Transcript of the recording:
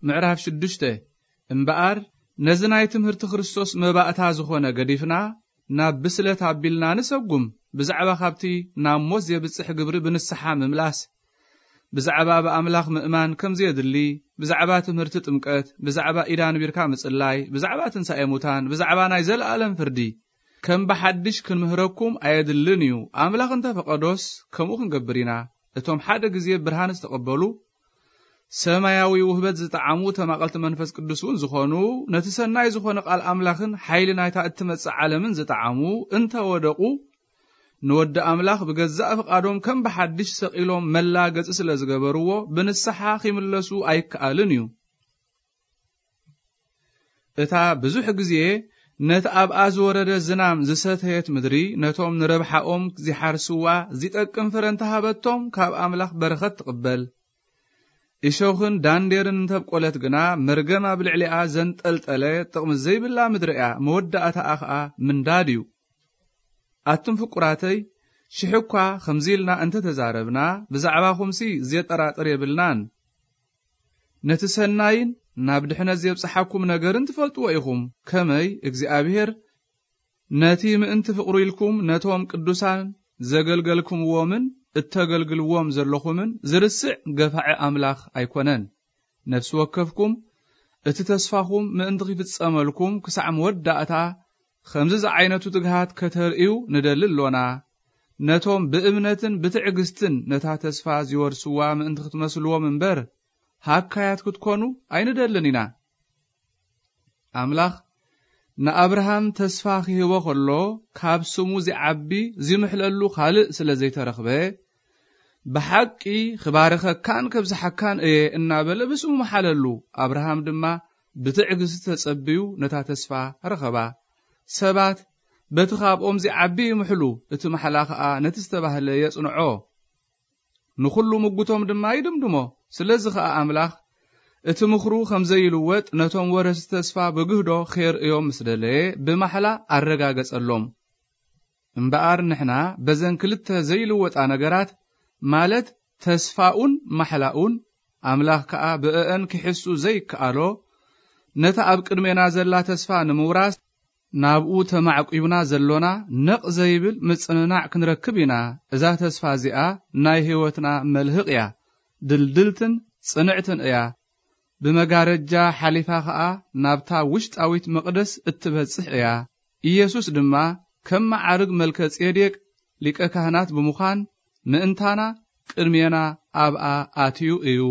ምዕራፍ ሽዱሽተ። እምበኣር ነዚ ናይ ትምህርቲ ክርስቶስ መባእታ ዝኾነ ገዲፍና፣ ናብ ብስለት ኣቢልና ንሰጉም። ብዛዕባ ካብቲ ናብ ሞት ዜብጽሕ ግብሪ ብንስሓ ምምላስ፣ ብዛዕባ ብኣምላኽ ምእማን ከም ዘየድሊ፣ ብዛዕባ ትምህርቲ ጥምቀት፣ ብዛዕባ ኢድ ኣንቢርካ ምጽላይ፣ ብዛዕባ ትንሳኤ ሙታን፣ ብዛዕባ ናይ ዘለኣለም ፍርዲ፣ ከም ብሓድሽ ክንምህረኩም ኣየድልን እዩ። ኣምላኽ እንተ ፈቐዶስ፣ ከምኡ ክንገብር ኢና። እቶም ሓደ ግዜ ብርሃን ዝተቐበሉ፣ ሰማያዊ ውህበት ዝጠዓሙ ተማቐልቲ መንፈስ ቅዱስ እውን ዝኾኑ፣ ነቲ ሰናይ ዝኾነ ቃል ኣምላኽን ሓይሊ ናይታ እትመጽእ ዓለምን ዝጠዓሙ እንተ ወደቑ፣ ንወዲ ኣምላኽ ብገዛእ ፍቓዶም ከም ብሓድሽ ሰቒሎም መላገጺ ስለ ዝገበርዎ፣ ብንስሓ ኺምለሱ ኣይከኣልን እዩ። እታ ብዙሕ ግዜ ነቲ ኣብኣ ዝወረደ ዝናም ዝሰተየት ምድሪ፣ ነቶም ንረብሓኦም ዚሓርስዋ ዚጠቅም ፍረ እንተሃበቶም፣ ካብ ኣምላኽ በረኸት ትቕበል። እሾኽን ዳንዴርን እንተብቆለት ግና፣ መርገም ኣብ ልዕሊኣ ዘንጠልጠለ ጥቕሚ ዘይብላ ምድሪ እያ፣ መወዳእታኣ ኸኣ ምንዳድ እዩ። ኣቱም ፍቁራተይ፣ ሽሕ እኳ ከምዚ ኢልና እንተ ተዛረብና፣ ብዛዕባኹምሲ ዜጠራጥር የብልናን። ነቲ ሰናይን ናብ ድሕነት ዜብጽሓኩም ነገርን ትፈልጥዎ ኢኹም። ከመይ እግዚኣብሔር ነቲ ምእንቲ ፍቕሩ ኢልኩም ነቶም ቅዱሳን ዘገልገልኩምዎምን እተገልግልዎም ዘለኹምን ዝርስዕ ገፋዒ ኣምላኽ ኣይኮነን። ነፍሲ ወከፍኩም እቲ ተስፋኹም ምእንቲ ኺፍጸመልኩም ክሳዕ መወዳእታ ከምዚ ዝዓይነቱ ትግሃት ከተርእዩ ንደሊ ኣሎና። ነቶም ብእምነትን ብትዕግስትን ነታ ተስፋ ዚወርስዋ ምእንቲ ክትመስልዎም እምበር፣ ሃካያት ክትኮኑ ኣይንደልን ኢና። ኣምላኽ ንኣብርሃም ተስፋ ኺህቦ ኸሎ፣ ካብ ስሙ ዚዓቢ ዚምሕለሉ ኻልእ ስለ ዘይተረኽበ፣ ብሓቂ ኽባርኸካን ከብዝሓካን እየ እናበለ ብስሙ መሓለሉ። ኣብርሃም ድማ ብትዕግስቲ ተጸብዩ ነታ ተስፋ ረኸባ። ሰባት በቲ ኻብኦም ዚዓቢ ይምሕሉ፣ እቲ ማሕላ ኸኣ ነቲ ዝተባህለ የጽንዖ። ንኹሉ ምጉቶም ድማ ይድምድሞ። ስለዚ ኸኣ ኣምላኽ እቲ ምኽሩ ኸም ዘይልወጥ ነቶም ወረስቲ ተስፋ ብግህዶ ኼርእዮም ምስ ደለየ ብማሕላ ኣረጋገጸሎም። እምበኣር ንሕና በዘን ክልተ ዘይልወጣ ነገራት፣ ማለት ተስፋኡን ማሕላኡን፣ ኣምላኽ ከኣ ብእአን ኪሕሱ ዘይከኣሎ፣ ነታ ኣብ ቅድሜና ዘላ ተስፋ ንምውራስ ናብኡ ተማዕቂብና ዘሎና ነቕ ዘይብል ምጽንናዕ ክንረክብ ኢና። እዛ ተስፋ እዚኣ ናይ ህይወትና መልህቕ እያ። ድልድልትን ጽንዕትን እያ። ብመጋረጃ ሓሊፋ ኸኣ ናብታ ውሽጣዊት መቕደስ እትበጽሕ እያ። ኢየሱስ ድማ ከም መዓርግ መልከ ጼዴቅ ሊቀ ካህናት ብምዃን ምእንታና ቅድሜና ኣብኣ ኣትዩ እዩ።